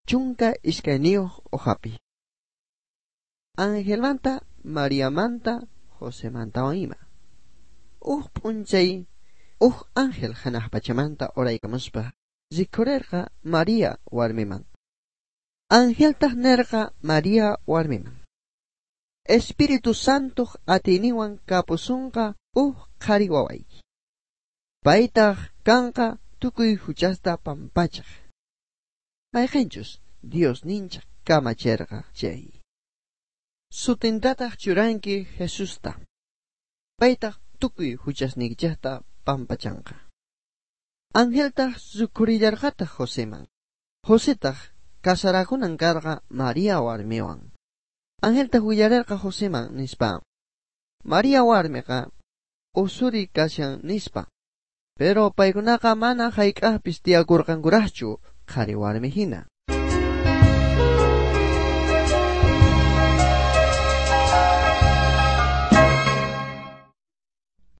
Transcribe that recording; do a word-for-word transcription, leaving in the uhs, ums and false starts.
Chunka iskayniyuq hojapi. Angelmanta, Mariamanta, Josemantawan ima. Uj p'unchay uj ángel hanaq pachamanta uraykamuspa rikhurerqa Maria warmiman. Angeltaq nerqa Maria warmiman. Espíritu Santo atiyninwan kapusonqa uj qhari wawayki. Paytaq kanqa tukuy huchasta pampachaj. Mayqinchus Dios ninchaj kamacherqa chay. Sutintataq churanki Jesusta. Paytaq tukuy huchasniykichejta pampachanqa. Angeltaq rikhurillarqataq Joseman. Josetaq kasarakunan karqa Maria warmiwan. Angeltaq willarerqa Joseman nispa. Maria warmiqa usuri kashan nispa. Pero paykunaqa mana hayk'aqpis tiyakurqankuraqchu qhari warmi hina.